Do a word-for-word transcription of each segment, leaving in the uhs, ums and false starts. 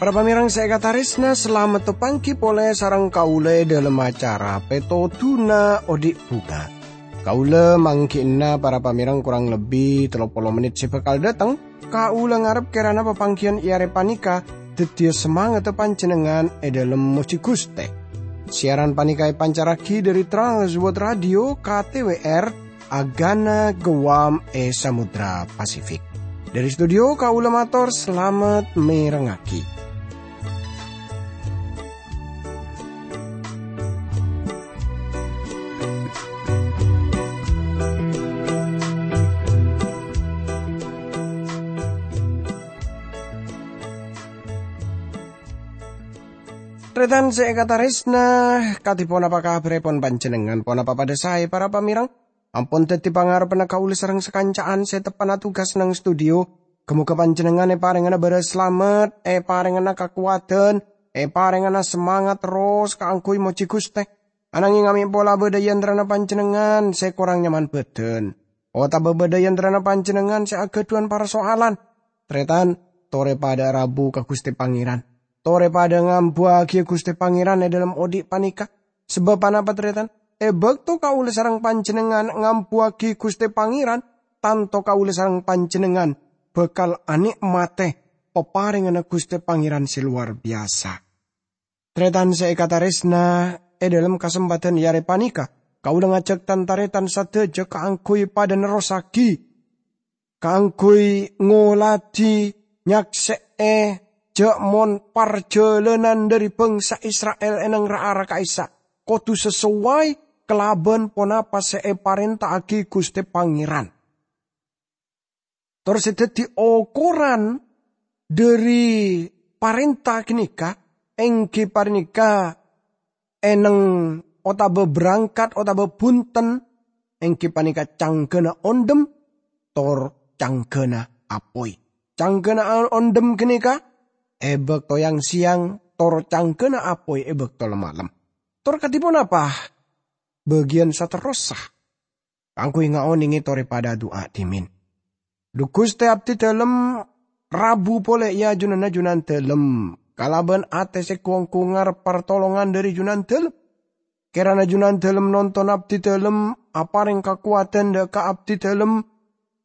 Para pamèrèng sè èkatarèsna, salamet tapangghi polè sareng kaulâ è dhâlem acara Pètodhuna Odi' Bhunga. Kaulâ mangghi'na para pamèrèng korang lebbi tello polo mennit sè bhâkal dhâteng. Kaulâ ngarep kèrana papangghiyân è arè panèka dhâddhiyâ samangatta panjhennengngan è dhâlem mojhi Ghustè. Siaran panèka èpancarraghi dhâri Trans World Radio K T W R, Agana Guam è Samudra Pasifik. Dhâri studio kaulâ mator salamet mèrengngaghi. Tarètan sè èkatarèsna, kadhi ponapa kabhârèpon panjhennengngan? Ponapa padhâ saè, para pamèrèng? Ampon dhâddhi pangarebbhânna kaulâ sareng sakanca'an sè teppa'na tugas neng studio. Ghâ-moghâ panjhennengngan èparèngana bârâs salamet, èparèngana kakowadhân, èparèngana samangat terros kaangghuy mojhi Ghustè. Ananghing amè' pola bâdâ è antarana panjhennengngan sè korang nyaman bhâdhân, otabâ bâdâ è antarana panjhennengngan sè aghâdhuwân parsoalan. Tarètan, torè padhâ rabu ka Ghustè Pangèran. Torè padhâ ngambuwâghi Ghustè Pangèran è dhâlem odi' panèka. Sabâb ponapa, tarètan? È bâkto kaulâ sareng panjhennengngan ngambuwâghi Ghustè Pangèran, tanto kaulâ sareng panjhennengngan bhâkal anè'matè paparènganna Ghustè Pangèran sè lowar biyasa. Tarètan sè èkatarèsna, è dhâlem kasempadhân è arè panèka, kaulâ ngajhâk tan-tarètan sadhâjâ kaangghuy padhâ nerrossaghi, kaangghuy ngoladhi, nyaksè'è jhâ' mon parjhâlânan dhâri bhângsa Isra'il è neng ra-ara ka'issa' kodhu sasoway kalabân ponapa sè èparènta'aghi Ghustè Pangèran. Tor sè dhâddhi okoran dhâri parènta ghânèka, èngghi panèka è neng otabâ berangkat otabâ bhunten, èngghi panèka cangghâna ondhem tor cangghâna apoy. Cangghâna ondhem ghânèka è bâkto yang-sèyang, tor cangghâna apoy è bâkto la-malem. Tor kadhi ponapa bâgiyân saterrossa? Kaangghuy ngaonèngè torè padhâ adu'a dhimèn. Dhu Ghustè, abdhi dhâlem rabu polè è ajunanna Junandhâlem, kalabân atè sè ghu-ongghu ngarep partolongan dhâri Junandhâlem. Kèrana Junandhâlem nonton abdhi dhâlem, aparèng kakowadhân dhâ' ka abdhi dhâlem,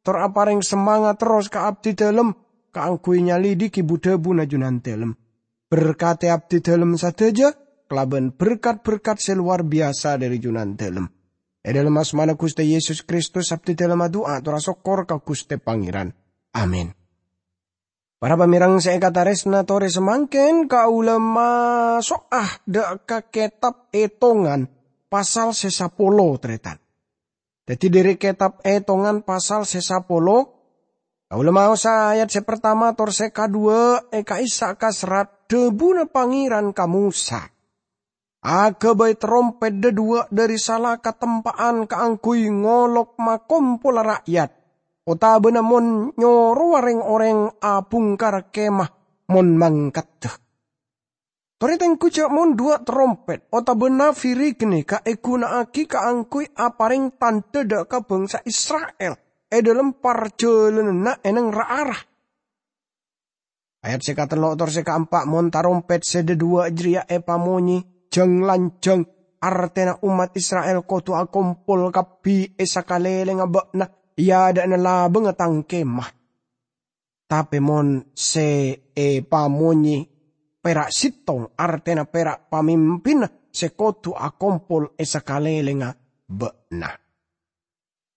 tor aparèng samangat terros ka abdhi dhâlem kaangghuy nyalidhighi bu-dhâbuna Junandhâlem. Berkatè abdhi dhâlem sadhâjâ kalabân berkat-berkat sè lowar biyasa dhâri Junandhâlem. È dhâlem asmana Ghustè Yesus Kristus, abdhi dhâlem adu'a tor asokkor ka Ghustè Pangèran. Amin. Para pamèrèng sè èkatarèsna, torè samangkèn kaulâ maso'a dhâ' ka Kètab Ètongan pasal sè sapolo, tarètan. Dhâddhi, dhâri Kètab Ètongan pasal sè sapolo, kaulâ maosa ayat sè partama tor sè kadhuwâ' è ka'issa' ka serrat dhâbuna Pangèran ka Mosa. Aghâbây tarompèt dhâduwâ' dhâri sala katempa'an kaangghuy ngolok makompola ra'yat, otabâna mon nyorowa rèng-orèng abhungkara kemah mon mangkaddhâ. Torè tengghu jhâ' mon dhuwâ' tarompèt otabâ nafiri ghânèka èghuna'aghi kaangghuy aparèng tandhâ dhâ' ka bhângsa Isra'il è dhâlem parjhâlânanna è neng ra-ara. Ayat sè katello' tor sè kaempa', mon tarompèt sè dhâduwâ' jârèya èpamonyè jhâng-lanjhâng, artèna ommat Isra'il kodhu akompol kabbhi è sakalèlèngnga bâ'na è adâ'na labângnga tang kemah. Tapè mon sè èpamonyè pèra' sèttong, artèna pèra' pamimpinna sè kodhu akompol è sakalèlèngnga bâ'na.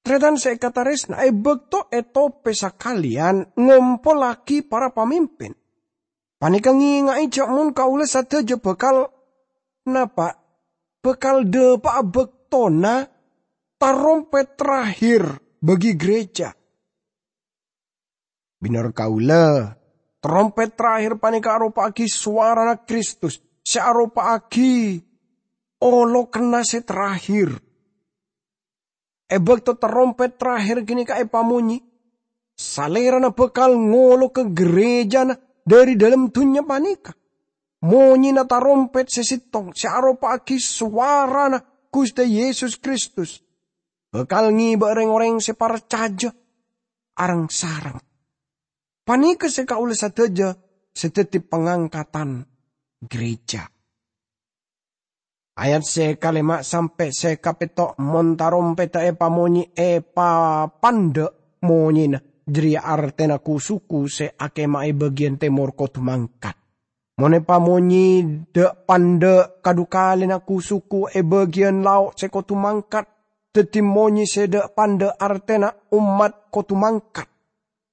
Tarètan sè èkatarèsna, è bâkto ètopè sakalèyan ngompollaghi para pamimpin, panèka ngènga'è jhâ' mon kaulâ sadhâjâ bhâkal napa? Bhâkal dhâpa'a bâktona tarompèt terakhir bagi gereja. Bhender kaulâ, tarompèt terakhir panèka aropa'aghi sowarana Kristus sè aropa'aghi olokanna sè terakhir. È bâkto tarompèt terakhir ghânèka èpamonyè, Salèrana bhâkal ngoloka gerejana dhâri dhâlem dhunnya panèka. monyèna tarompet sè sèttong sè aropa'aghi sowarana Ghustè Yesus Kristus bhâkal ngèbâ rèng-orèng sè parcajâ areng-sareng. Panèka sè kaulâ sadhâjâ sè dhâddhi pangangkatan gereja. Ayat sè kalèma' sampè' sè kapètto', "Mon tarompedda èpamonyè èpapandhâ' monyèna, jârèya artèna ku-suku sè akèma'a è bâgiyân tèmor kodhu mangkat. Mon èpamonyè dâ'-pandhâ', kadhukalèna ku-suku è bâgiyân lao' sè kodhu mangkat. Dhâddhi monyè sè dâ'-pandhâ' artèna ommat kodhu mangkat.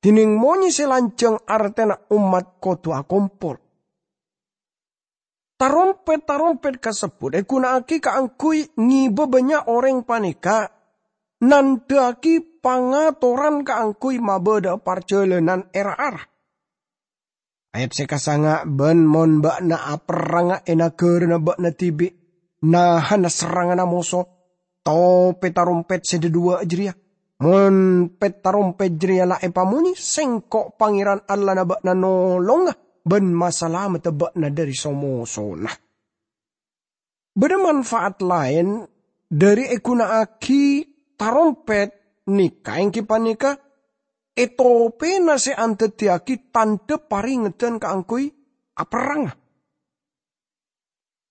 Dhinèng monyè sè lanjhâng artèna ommat kodhu akompol." Tarompet-tarompet kasebbhut èghuna'aghi kaangghuy ngèbâ bânnya' orèng panèka nandhâ'aghi pangatoran kaangghuy mabâdâ'â parjhâlânan è ra-ara. Ayat sè kasanga', "Bân mon bâ'na aperranga è naghârâna bâ'na dhibi', nahana serranganna moso, topè tarompet sè dhâduwâ' jârèya. Mon pèt tarompet jârèya la èpamonyè, Sèngko' Pangèran Allahna bâ'na nolonga bân masalameddhâ bâ'na dhâri so-mosona." Bâdâ manfaat laèn dhâri èghuna'aghi tarompet nèka, èngghi panèka è topèna sè andhâddhiyâghi tandhâ parèngeddhân kaangghuy aperranga.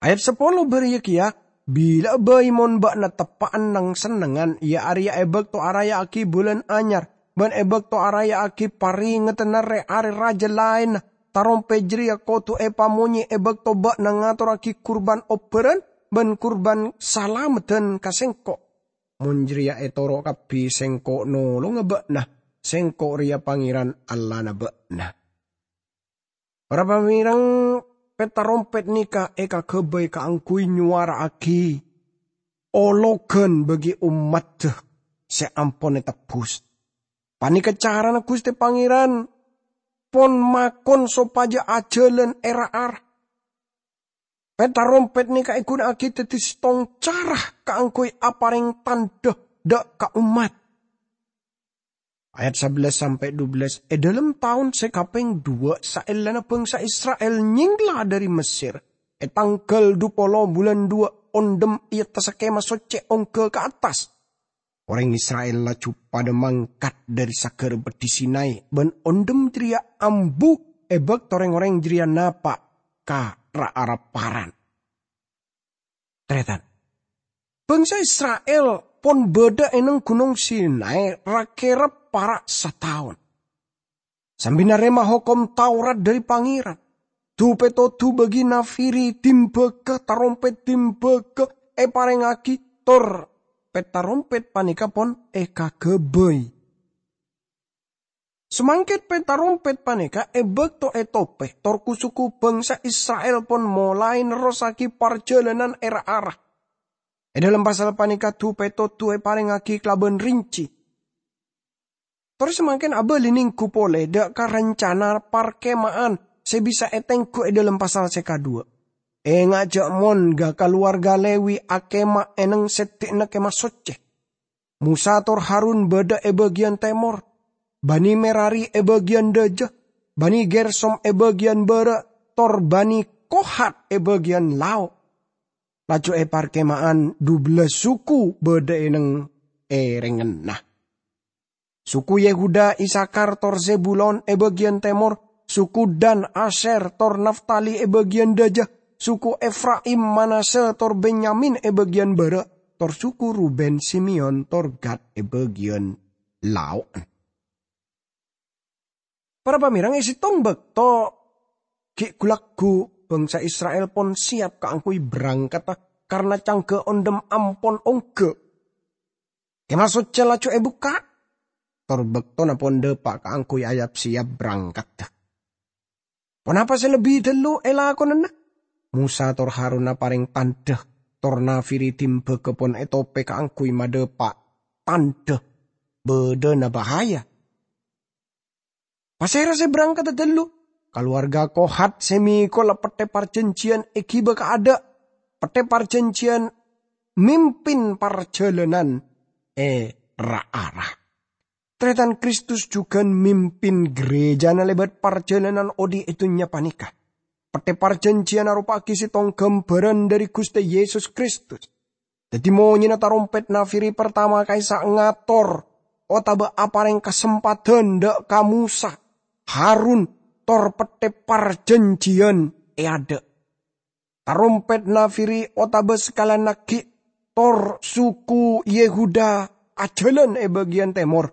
Ayat sapolo bâriyâ kèya, "Bilâ'â bhâi mon bâ'na teppa'an nang-sennengngan, iyâ arèya è bâkto araya'aghi bulân anyar, bân è bâkto araya'aghi parèngeddhânna rè-arè rajâ laènna, tarompet jârèya kodhu èpamonyè è bâkto bâ'na ngatorraghi kurbân obbhârân bân kurbân salameddhân ka Sèngko'. Mon jârèya ètoro' kabbhi, Sèngko' nolonga bâ'na. Sèngko' rèya Pangèran Allahna bâ'na." Para pamèreng, pèt tarompet nèka èkaghâbây kaangghuy nyowara'aghi ologhân bagi ommaddhâ sè ampon ètebbhus. Panèka carana Ghustè Pangèran pon makon sopajâ ajhâlân è ra-ara. Pèt tarompet nèka èghuna'aghi dhâddhi sèttong cara kaangghuy aparèng tandhâ dâ' ka ommat. Ayat sabellâs sampè' dubellâs, è dhâlem taon sè kapèng duwâ' saellana bhângsa Isra'il nyèngla dhâri Messèr, è tangghâl dupolo bulân duwâ', ondhem è attassa Kèma Soccè ongghâ ka attas. Orèng Isra'il laju padâ mangkat dhâri Saghârâ Beddhi Sinai, bân ondhem jârèya ambu è bâkto rèng-orèng jârèya napa' ka ra-ara Paran. Tarètan, bhângsa Isra'il pon bâdâ è neng Ghunong Sinai ra-kèra para' sataon, sambi narèma Hokom Taurat dhâri Pangèran. Du-pètodhu bâgi nafèrè dimbâghâ, tarompet dimbâghâ èparèngaghi, tor pèt tarompet panèka pon èkaghâbây. Samangkèn pèt tarompet panèka è bâkto ètopè, tor ku-suku bhângsa Isra'il pon molaè nerrossaghi parjhâlânan è ra-ara. È dhâlem pasal panèka du-pètodhu èparèngaghi kalabân rinci. Tor samangkèn abâli nèngghu polè dâ' ka rancana parkema'an sè bisa ètengghu è dhâlem pasal sè kaduwâ'. Enga' jâ' mon ga-, kalowarga Lewi akema è neng seddhi'na Kemah Soccè. Mosa tor Harun bâdâ è bâgiyân tèmor, Bani Merari è bâgiyân dâjâ, Bani Gersom è bâgiyân bârâ', tor Bani Kohat è bâgiyân lao'. Laju è parkema'an dubellâs suku bâdâ è neng è rengngenna. Suku Yehuda, Isakar, tor Zebulon è bâgiyân tèmor, suku Dan, Asyer, tor Naftali è bâgiyân dâjâ, suku Efraim, Manasye, tor Benyamin è bâgiyân bârâ', tor suku Ruben, Simeon, tor Gad è bâgiyân lao'na. Para pamèreng, è sèttong bâkto ghi' ghu-lagghu bhângsa Isra'il pon sèyap kaangghuy brangkata, karna cangghâ ondhem ampon ongghâ. Kemah Soccè laju èbukka', tor bâktona pon dâpa' kaangghuy ayap-sèyap brangkata. Ponapa sè lebbi ghâllu èlakonana? Mosa tor Harun aparèng tandhâ, tor nafèrè dimbâghâ pon ètopè kaangghuy madâpa' tandhâ bâdâna bahaya. Pasèra sè brangkata ghâllu? Kalowarga Kohat sè mèkola Pettè Parjhânjhiyân èghibâ kaadâ'. Pettè Parjhânjhiyân mimpin parjhâlânan è ra-ara. Tarètan, Kristus jhughân mimpin ghârèjâna lèbât parjhâlânan odi' è dhunnya panèka. Pettè parjhânjhiyân aropa'aghi sèttong ghâmbhârân dhâri Ghustè Yesus Kristus. Dhâddhi, monyèna tarompèt nafiri partama ka'issa' ngator otabâ aparèng kasempadhân dhâ' ka Mosa, Harun, tor pettè parjhânjhiyân è adâ'. Tarompèt nafiri otabâ sakalèyan aghi' tor suku Yehuda ajhâlân è bâgiyân tèmor,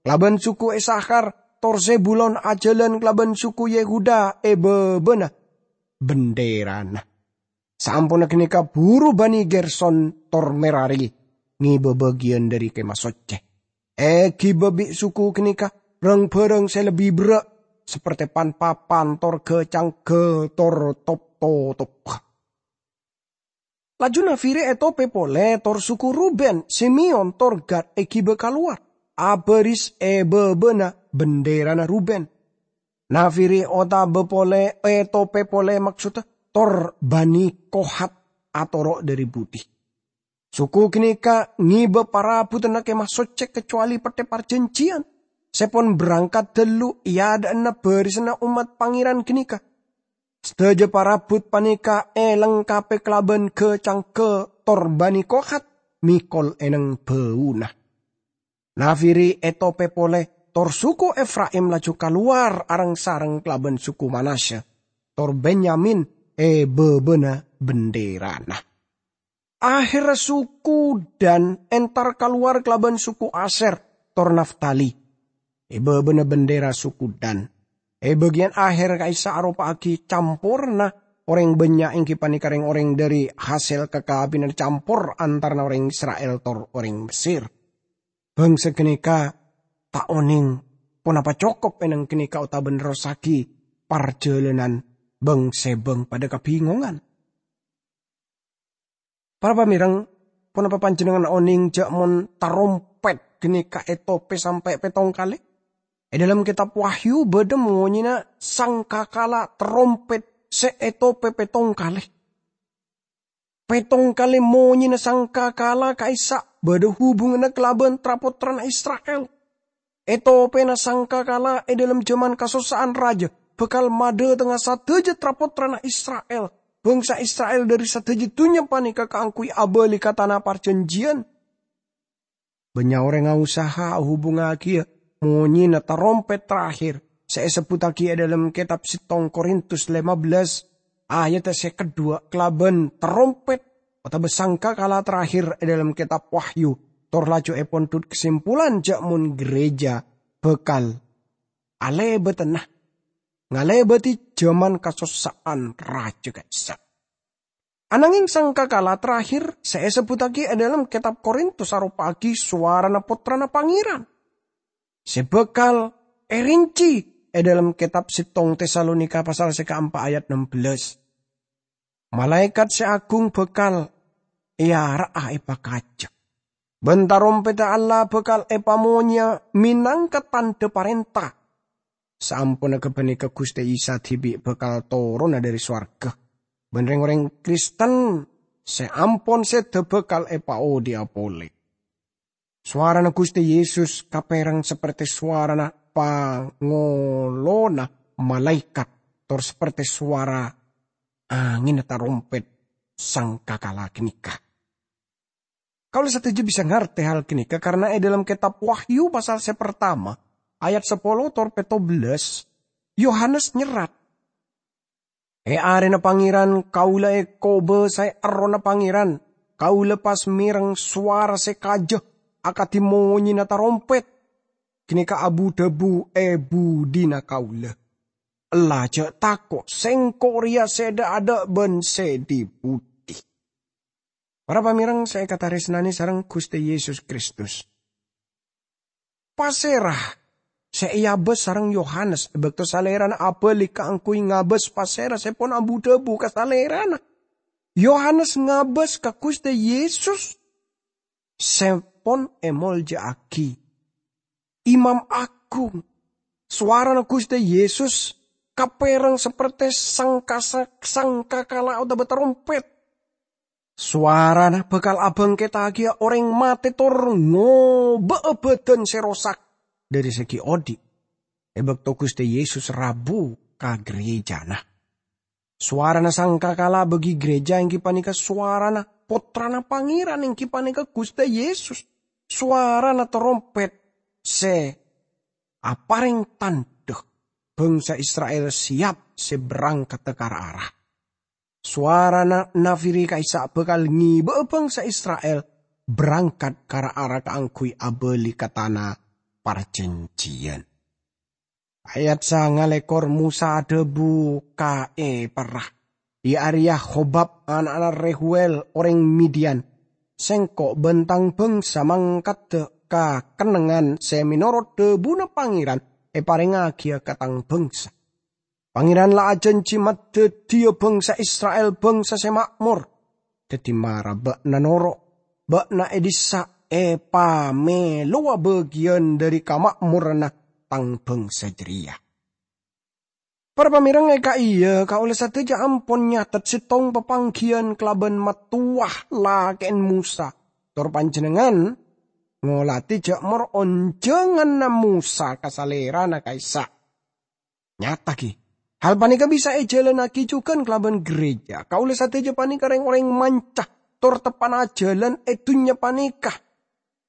kalabân suku Isakhar tor Zebulon ajhâlân kalabân suku Yehuda è bâbâna bendherana. Saamponna ghânèka buru bânnè Gerson tor Merari ngèbâ bâgiyân dhâri Kèma Soccè. Èghibâ bi' suku ghânèka rang-bhârâng sè lebbi berrâ', sapertè pan-papan tor ghâ-cangghâ tor top-totop. Laju nafiri ètopè polè tor suku Ruben, Simeon, tor Gad èghibâ kalowar, abâris è bâbâna bendherana Ruben. Nafiri otabâ polè, ètopè polè, maksodda, tor Bani Kohat atoro' dhâri budi. Suku ghânèka ngèbâ parabhutanna Kèma Soccè kacowalè Pettè Parjhânjhiyân, sè pon berangkat dâllu è adâ'na barisanna ommat Pangèran ghânèka. Sadhâjâ parabhut panèka èlengkapè kalabân ghâ-cangghâ tor Bani Kohat mèkol è neng bâuna. Nafiri ètopè polè, tor suku Efraim laju kalowar areng-sareng kalabân suku Manasya, tor Benyamin è bâbâna bendherana. Aherra suku Dan entar kalowar kalabân suku Aser tor Naftali. È bâbâna bendhera suku Dan. È bâgiyân aher ka'issa' aropa'aghi camporna orèng bânnya', èngghi panèka rèng-orèng dhâri hasèl kakabinan campor antarana orèng Isra'il tor orèng Mesir. Bhângsa ghânèka ta' onèng ponapa cokop è neng ghânèka otabâ nerrossaghi parjhâlânan bâng-sèbâng padâ kabingongan. Para pamèreng, ponapa panjhennengngan onèng jâ' mon tarompèt ghânèka ètopè sampè' pèttong kalè? È dhâlem Kètab Wahyu bâdâ monyèna sangkakala tarompèt sè ètopè pèttong kalè. Pèttong kalè monyèna sangkakala ka'issa' bâdâ hubunganna kalabân tra-pottrana Isra'il. Ètopèna sangkakala è dhâlem jhâman kasossa'an rajâ bhâkal madhâtengnga sadhâjâ tra-pottrana Isra'il, bhângsa Isra'il dhâri sadhâjâ dhunnya panèka kaangghuy abâli ka Tana Parjhânjhiyân. Bânnya' orèng aosaha ahubungaghiyâ monyèna tarompèt terakhir sè èsebbhuttaghi è dhâlem Kètab Sèttong Korintus lèma bellâs, ayadda sè kaduwâ' kalabân tarompèt otabâ sangkakala terakhir è dhâlem Kètab Wahyu, tor laju èpondhut kasimpulan jâ' mon ghârèjâ bhâkal alèbâdhâna, ngalèbâdhi jhâman kasossa'an rajâ ka'issa'. Anangèng sangkakala terakhir sè èsebbhuttaghi è dhâlem Kètab Korintus aropa'aghi sowarana Pottrana Pangèran sè bhâkal èrèncè è dhâlem Kètab Sèttong Tesalonika pasal sè kaempa' ayat nem bellâs. Malaèkat sè agung bhâkal èara'a èpakajâ, bân tarompèdda Allah bhâkal èpamonyèya mènangka tandhâ parènta. Saamponna ghâpanèka Ghustè Isa dhibi' bhâkal toronna dhâri sowarghâ, bân rèng-orèng Kristen sè ampon sèdhâ bhâkal èpaodi'â polè. Sowarana Ghustè Yesus kapèreng sapertè sowarana pangolona malaèkat, tor sapertè sowara angènna tarompèt sangkakala ghânèka. Kaulâ sadhâjâ bisa ngartè hal ghânèka, karna è dhâlem Kètab Wahyu pasal sè partama, ayat sapolo tor pètto bellâs, Yohanes nyerrat, "È arèna Pangèran kaulâ èkobâsaè Errohna Pangèran. Kaulâ pas mèreng sowara sè kajâ akadhi monyèna tarompèt. Ghânèka abu-dhâbu è budina kaulâ, 'Ella jâ' tako', Sèngko' rèya sè dâ'-adâ' bân sè dhi-budhi.'" Para pamèreng sè èkatarèsnanè sareng Ghustè Yesus Kristus, pasèra sè èabâs sareng Yohanes è bâkto salèrana abâli kaangghuy ngabâs pasèra sè pon abu-dhâbu ka salèrana? Yohanes ngabâs ka Ghustè Yesus sè pon èmoljâ'aghi. Imam Agung. Sowarana Ghustè Yesus kapèreng sapertè sangka-, sangkakala otabâ tarompèt. Sowarana bhâkal abhângkèttaghiyâ orèng matè tor ngobâ'â bhâdhân sè rosak dhâri sè ghi' odi', è bâkto Ghustè Yesus rabu ka ghârèjâna. Sowarana sangkakala bagi gereja enggi paneka sowarana Pottrana Pangeran, enggi paneka Guste Yesus. Sowarana tarompet se apareng tandha bangsa Isra'il siyap se berangkadda ka ra-ara. Sowarana nafiri ka'issa' bakal ngeba'a bangsa Isra'il berangkat ka ra-ara kaangguy abali ka tana parjanjiyan. Ayat sanga lekor, Mosa adhabu ka eparra, iya areya Hobab ana'na Rehuel oreng Midian, "Sengko' ban tang bangsa mangkadda ka kennengngan se menorot dhabuna Pangeran eparengngagiya ka tang bangsa. Pangeran la ajanji madaddiya bangsa Isra'il bangsa se ma'mor. Daddi mara ba'na noro', ba'na e dissa' epamelowa bagiyan dhari kama'moranna tang bangsa jareya." Para pamereng, e ka'iya kaula sadaja ampon nyatet settong papanggiyan kalaban mattowa lake'en Mosa, tor panjennengngan ngoladi ja' mor onjanganna Mosa ka salerana ka'issa'. Nyata, gi. Hal paneka bisa ejalannagi jugan kalaban gereja. Kaula sadaja paneka reng-oreng manca tor teppa'na jalan e dunnya paneka.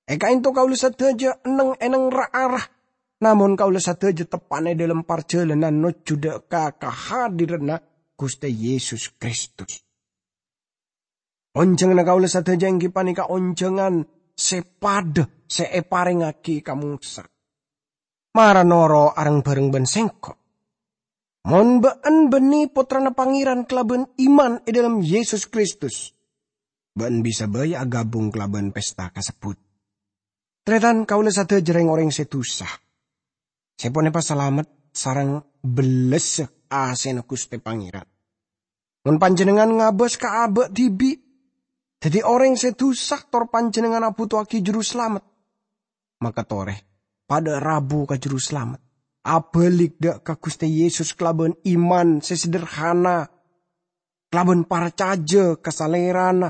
E ka'ento kaula sadaja enneng-enneng ra-ara, namon kaula sadaja teppa'na e dhalem parjalanan nojju dha' ka kahadiranna Guste Yesus Kristus. Onjanganna kaula sadaja enggi paneka onjangan se padha se eparengngagi ka Mosa. Mara noro' areng-bareng ban sengko'. Mon ba'en banne pottrana Pangeran kalaban iman e dhalem Yesus Kristus, ba'en bisa bai agabung kalaban pesta kasebbut. Taretan, kaula sadaja reng-oreng se dusa, se pon epasalamet sareng bellessa asena Guste Pangeran. Mon panjennengngan ngabas ka aba' dibi', daddi oreng se dusa tor panjennengngan abuto'agi Juru Slamet, maka tore, padha rabu ka Juru Slamet. Abalik dha' ka Guste Yesus kalaban iman se sederhana, kalaban parcaja ka Salerana.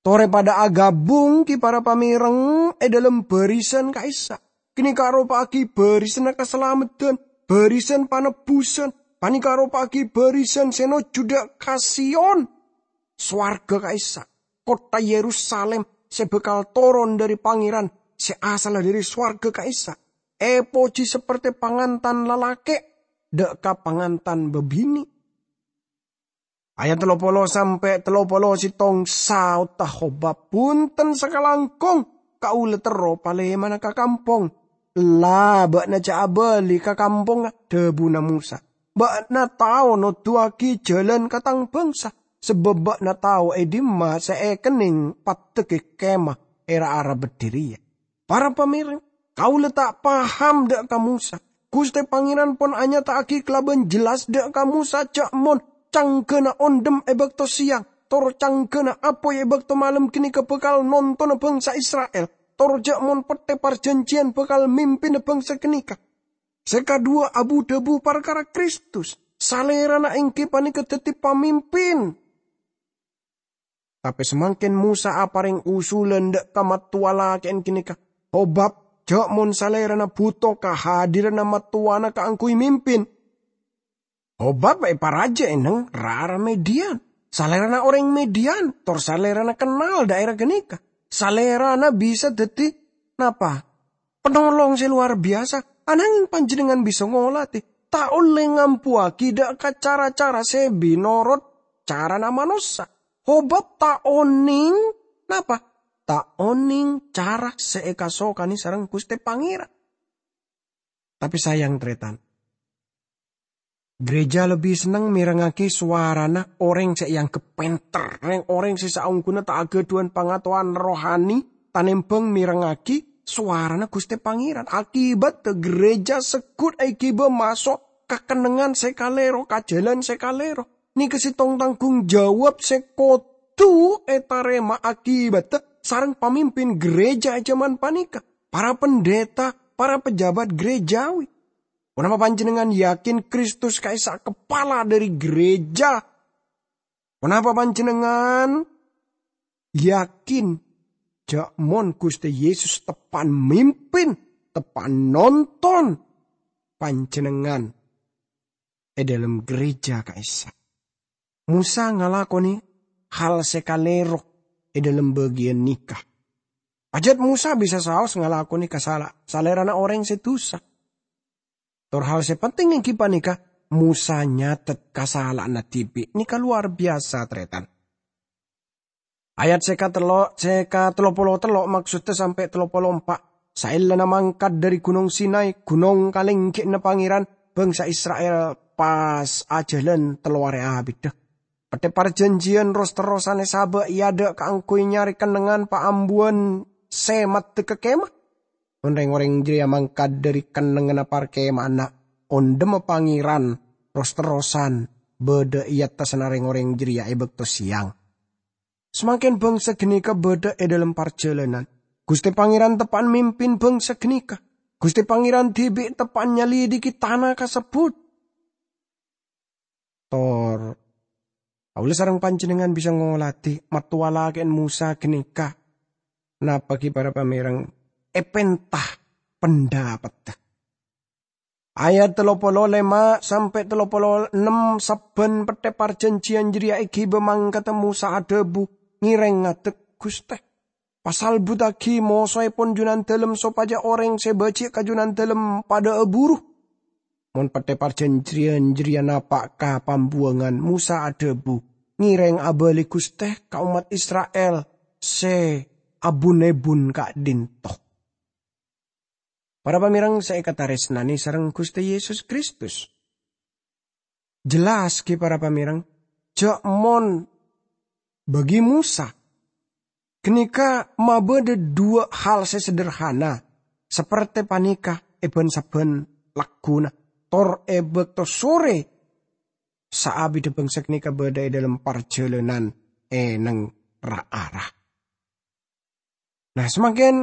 Tore padha agabung, gi, para pamereng, e dhalem barisan ka'issa'. Ganeka aropa'agi barisanna kasalameddhan, barisan panebbusan. Paneka aropa'agi barisan se nojju dha' ka Sion, sowarga ka'issa', kottha Yerusalim se bakal toron dhari Pangeran se asalla dhari sowarga ka'issa'. Epoji saperte pangantan lalake' dha' ka pangantan babine'. Ayat tello polo sampe' tello polo settong, saodda Hobab, "Bunten sakalangkong, kaula terro palemana ka kampong." "Ella, ba'na ja' abali ka kampongnga," dhabuna Mosa. "Ba'na tao noduwagi jalan ka tang bangsa, sabab ba'na tao e dimma se ekenneng paddeggi kemah e ra-ara beddhi reya." Para pamereng, kaula ta' paham dha' ka Mosa. Guste Pangeran pon anyata'agi kalaban jelas dha' ka Mosa ja' mon canggana ondhem e bakto seyang, tor canggana apoy e bakto malem ganeka bakal nontona bangsa Isra'il, tor ja' mon Petthe Parjanjiyan bakal mimpina bangsa ganeka. Se kadhuwa abu-dhabu parkara Kristus, Salerana enggi paneka daddi pamimpin. Tape samangken Mosa apareng usulan dha' ka mattowa lake'en ganeka, Hobab, ja' mon Salerana buto kahadiranna mattowana kaangguy mimpin. Hobab eparaja e neng ra-ara Midian. Salerana oreng Midian, tor Salerana kennal dhaera ganeka. Salerana bisa daddi, napa? Penolong se lowar biyasa, anangeng panjennengngan bisa ngoladi. Ta' olle ngambuwagi dha' ka cara-cara se binorot carana manossa. Hobab ta' oneng, napa? Ta' oneng cara se ekasokane sareng Guste Pangeran. Tape sayang, taretan, gereja lebbi senneng merengngagi sowarana oreng se eanggep penter, reng-oreng se saongghuna ta' agadhuwan pangatowan rohani, tanembang merengngagi sowarana Guste Pangeran. Akibatta gereja seggut egiba maso' ka kennengngan se kalero, ka jalan se kalero. Neka settong tanggung jawab se kodu etarema akibatta sareng pamimpin gereja e jaman paneka, para pendeta, para pejabat gerejawi. Ponapa panjennengngan yakin Kristus ka'issa' kepala dhari gereja? Ponapa panjennengngan yakin ja' mon Guste Yesus teppa'an mimpin, teppa'an nonton panjennengngan e dhalem gereja ka'issa'? Mosa ngalakonè hal sè kalèro è dhâlem bâgiyân nèka. Pajhât Mosa bisa saos ngalakonè kasala-, salèrana orèng sè dusa. Tor hal sè penting èngghi panèka, Mosa nyatet kasala'anna dhibi'. Nèka lowar biyasa, tarètan. Ayat sè katello-, sè katello polo tello', maksodda sampè' tello polo empa'. Saellana mangkat dhâri Ghunong Sinai, ghunong kalènggi'na Pangèran, bhângsa Isra'il pas ajhâlân tello arè abiddhâ. Pettè parjhânjhiyân ros-terrosan èsabâ' è adâ' kaangghuy nyarè kennengngan paambuwân sè maddhâ ka kemah. Mon rèng-orèng jârèya mangkat dhâri kennengnganna parkema'anna, ondhemma Pangèran ros-terrosan bâdâ è attassanna rèng-orèng jârèya è bâkto sèyang. Samangkèn bhângsa ghânèka bâdâ è dhâlem parjhâlânan. Ghustè Pangèran teppa'na mimpin bhângsa ghânèka. Ghustè Pangèran dhibi' teppa'na nyalèdhighi tana kasebbhut. Tor, kaulâ sareng panjhennengngan bisa ngolatè mattowa lakè'en Mosa ghânèka. Napa ghi para pamèreng? Èpènta pendapeddhâ. Ayat tello polo lèma' sampè' tello polo ennem, sabbhân pettè parjhânjhiyân jârèya èghibâ mangkaddhâ Mosa adhâbu, ngèrèng ngadhep Ghustè. Pasalbuttaghi mosoèpon Junandâlem sopajâ orèng sè bâji' ka Junandâlem padâ aburu. Mon pettè parjhânjhiyân jârèya napa' ka pambuwangan, Mosa adhâbu, "Ngèrèng abâli Ghustè ka ommat Isra'il sè abun-èbun ka'dinto." Para pamèreng sè èkatarèsnanè sareng Ghustè Yesus Kristus. Jelas ghi para pamèreng, jhâ' mon bâgi Mosa, ghânèka mabâdâ duwâ' hal sè sederhana, sapertè panèka è bân-sabbhân lagghuna, tor è bâkto sorè saabiddhâ bhângsa ghânèka bâdâ è dhâlem parjhâlânan è neng ra-ara. Nah, samangkèn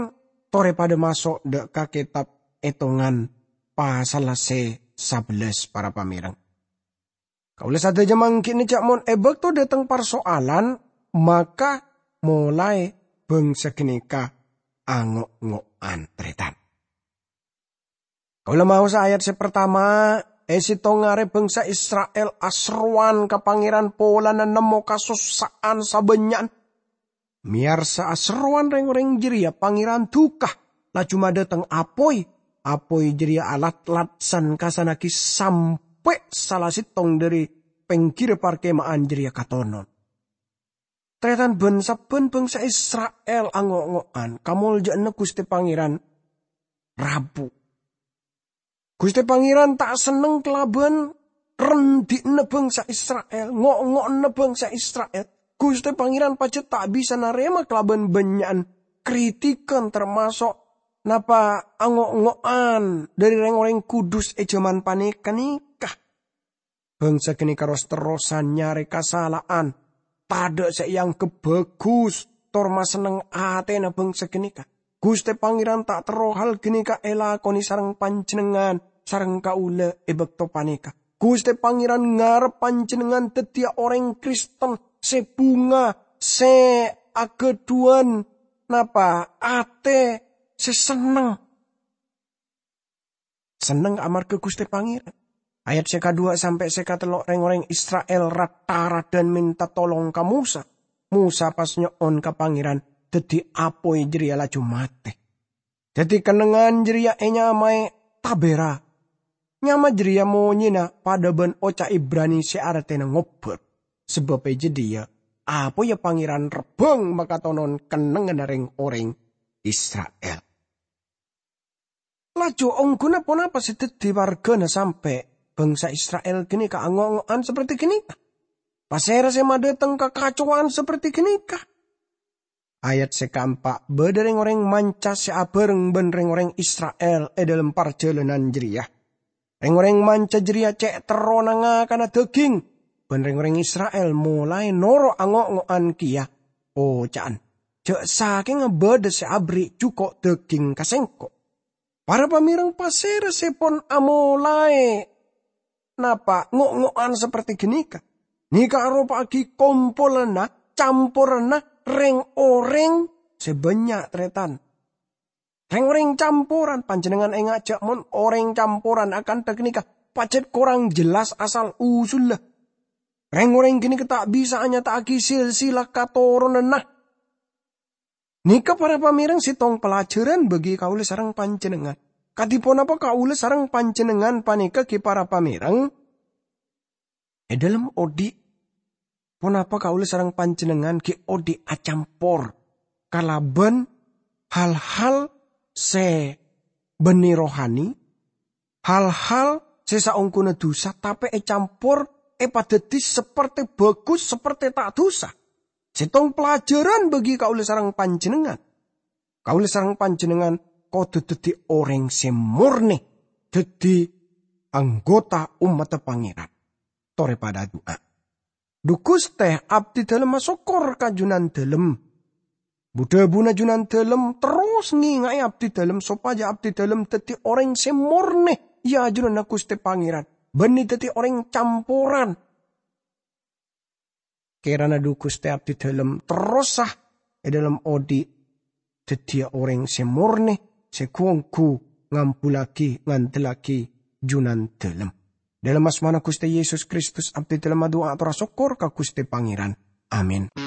torè padâ maso' dâ' ka kètab Ètongan pasalla sè sabellâs, para pamèreng. Kaulâ sadhâjâ mangghi'na jhâ' mon è bâkto dâteng parsoalan, maka molaè bhângsa ghânèka ango'-ngo'an, tarètan. Kaulâ maosa ayat sè partama, è sèttong arè bhângsa Isra'il aserrowan ka Pangèran polana nemmo kasossa'an sabânnya'an. Mèyarsa aserrowan rèng-orèng jârèya, Pangèran duka, laju madâteng apoy. Apoy jârèya alat-lat san-kassannaghi sampè' sala sèttong dhâri pèngghirra parkema'an jârèya katonon. Tarètan, bân-sabbhân bhângsa Isra'il ango'-ngo'an kamoljâ'ânna Ghustè Pangèran rabu. Ghustè Pangèran ta' senneng kalabân rendi'na bhângsa Isra'il, ngo'-ngo'anna bhângsa Isra'il. Ghustè Pangèran pajhât ta' bisa narèma kalabân bânnya'an kritikan, tamaso' napa ango'-ngo'an dhâri rèng-orèng Kudus è jhâman panèka-nèka. Bhângsa ghânèka ros-terrosan nyarè kasala'an, tadâ' sè èangghep bhâghus, tor masenneng atèna bhângsa ghânèka. Ghustè Pangèran ta' terro hal ghânèka èlakonè sareng panjhennengngan, sareng kaulâ è bâkto panèka. Ghustè Pangèran ngarep panjhennengngan dhâddhiyâ orèng Kristen sè bhunga, sè aghâdhuwân napa atè sè senneng. Senneng amarghâ Ghustè Pangèran. Ayat sè kaduwâ' sampè' sè katello', rèng-orèng Isra'il rat-taraddhân mènta tolong ka Mosa. Mosa pas nyo'on ka Pangèran, dhâddhi apoy jârèya laju matè. Dhâddhi kennengngan jârèya ènyamaè Tabera. Nyama jârèya monyèna padâ bân oca' Ibrani sè artèna ngobâr. Sabâb è jâdiyâ apoyya Pangèran rebbhâng makatonon kennengnganna rèng-orèng Isra'il. Laju, ongghuna ponapa sè dhâddhi warghâna sampè' bhângsa Isra'il ghânèka ango'-ngo'an saperti ghânèka? Pasèra sè madâteng kakacowan saperti ghânèka? Ayat sè kaempa', bâdâ rèng-orèng manca sè abhâreng bân rèng-orèng Isra'il è dhâlem parjhâlânan jârèya. Rèng-orèng manca jârèya cè' terrona ngakana dhâghing, bân rèng-orèng Isra'il molaè noro' ango'-ngo'an kèya, oca'an, "Jhâ' sakènga bâdâ sè aberri' jhuko' dhâghing ka sèngko'." Para pamèreng, pasèra sè pon amolaè napa ngo'-ngo'an saperti ghânèka? Nèka aropa'aghi kompolanna, camporanna rèng-orèng sè bânnya', tarètan. Rèng-orèng camporan, panjhennengngan ènga' jhâ' mon orèng camporan akantha ghânèka pajhât korang jelas asal-usulla. Rèng-orèng ghânèka ta' bisa anyata'aghi silsilah katoronanna. Nèka para pamèrèng sèttong pelajaran bagi kaulâ sareng panjhennengngan. Kadhi ponapa kaulâ sareng panjhennengngan panèka ghi' para pamèrèng? È dhâlem odi', ponapa kaulâ sareng panjhennengngan ghi' odi' acampor kalabân hal-hal sè bânnè rohani, hal-hal sè saongghuna dhusa, tapè ècampor èpadhâddhi saperte bhâghus, saperte ta' dhusa. Sèttong pelajaran bagi kaulâ sareng panjhennengngan. Kaulâ sareng panjhennengngan kodhu dhâddhi orèng sè morne, dhâddhi anggota ommaddhâ Pangèran. Torè padhâ adu'a. Dhu Ghustè, abdhidhâlem asokkor ka Jhunandhâlem. Bu-dhâbuna Jhunandhâlem terros ngènga'è abdhidhâlem sopajâ abdhidhâlem dhâddhi orèng sè morne è ajunanna Ghustè Pangèran, bânnè dhâddhi orèng camporan. Kèrana dhu Ghustè abdhidhâlem terrosa è dhâlem odi' dhâddhiyâ orèng sè morne, sè ghu-ongghu ngambullâghi, ngandellâghi Jhunandhâlem. Dhâlem asmana Ghustè Yesus Kristus abdhidhâlem adu'a ator asokkor ka Ghustè Pangèran. Amin.